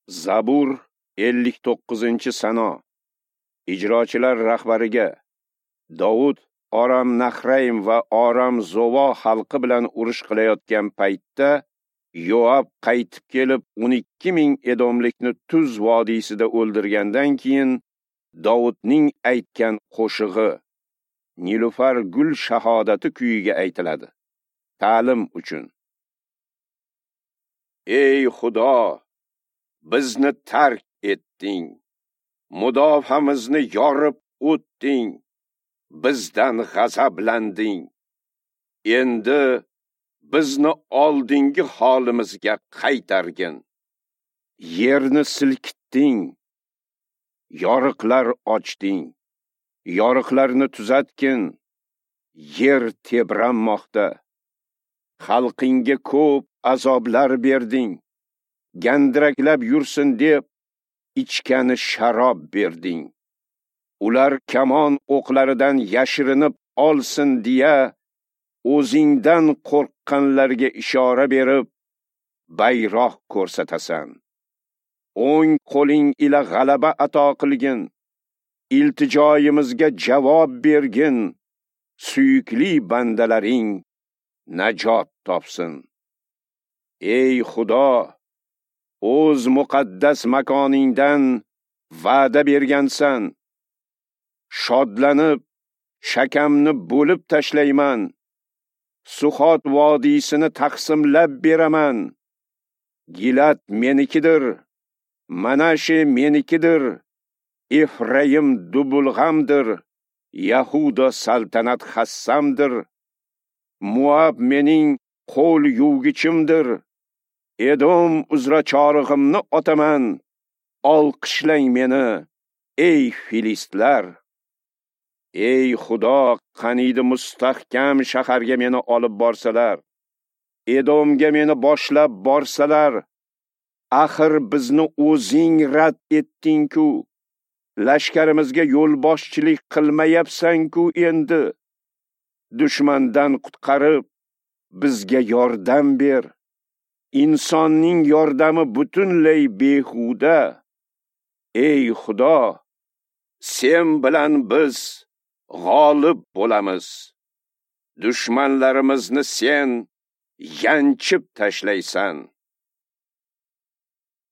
Zabur 59-sano. Ijrochilar rahbariga Dovud Aram Nahraym va Aram Zovo xalqi bilan urush qilayotgan paytda Yoab qaytib kelib 12 000 edomlikni Tuz vodiysida o'ldirgandan keyin Dovudning aytgan qo'shig'i Nilufar gul shahodati kuyiga aytiladi. Ta'lim uchun. Ey Xudo, bizni tark etding. Mudofaamizni yorib o'tding. Bizdan g'azablanding. Endi bizni oldingi holimizga qaytargin. Yerni silkitding. Yoriqlar ochding. Yoriqlarni tuzatgin. Yer tebranmoqda. Xalqingga ko'p azoblar berding. Gandiraklab yursin deb ichgani sharob berding. Ular kamon o'qlaridan yashirinib olsin deya o'zingdan qo'rqqanlarga ishora berib bayroq ko'rsatasan. O'ng qo'ling ila g'alaba ato qilgin. Iltijoyimizga javob bergin. Suyukli bandalaring najot topsin. Ey Xudo, o'z muqaddas makoningdan va'da bergansan. Shodlanib shakamni bo'lib tashlayman. Suxot vodiysini taqsimlab beraman. Gilat menikidir, Manashe menikidir, Efraim dubulg'amdir, Yahuda saltanat hassamdir. Muab mening qo'l yuvgichimdir. Edom uzra chorig'imni otaman. Olqishlang meni, ey filistlar. Ey Xudo, qaniydi mustahkam shaharga meni olib borsalar, Edomga meni boshlab borsalar. Axir bizni o'zing rad etding-ku. Lashkarimizga yo'lboshchilik qilmayapsan-ku endi. Dushmandan qutqarib, bizga yordam ber. Insonning yordami butunlay behuda. Ey Xudo, sen bilan biz g'olib bo'lamiz. Dushmanlarimizni sen yanchib tashlaysan.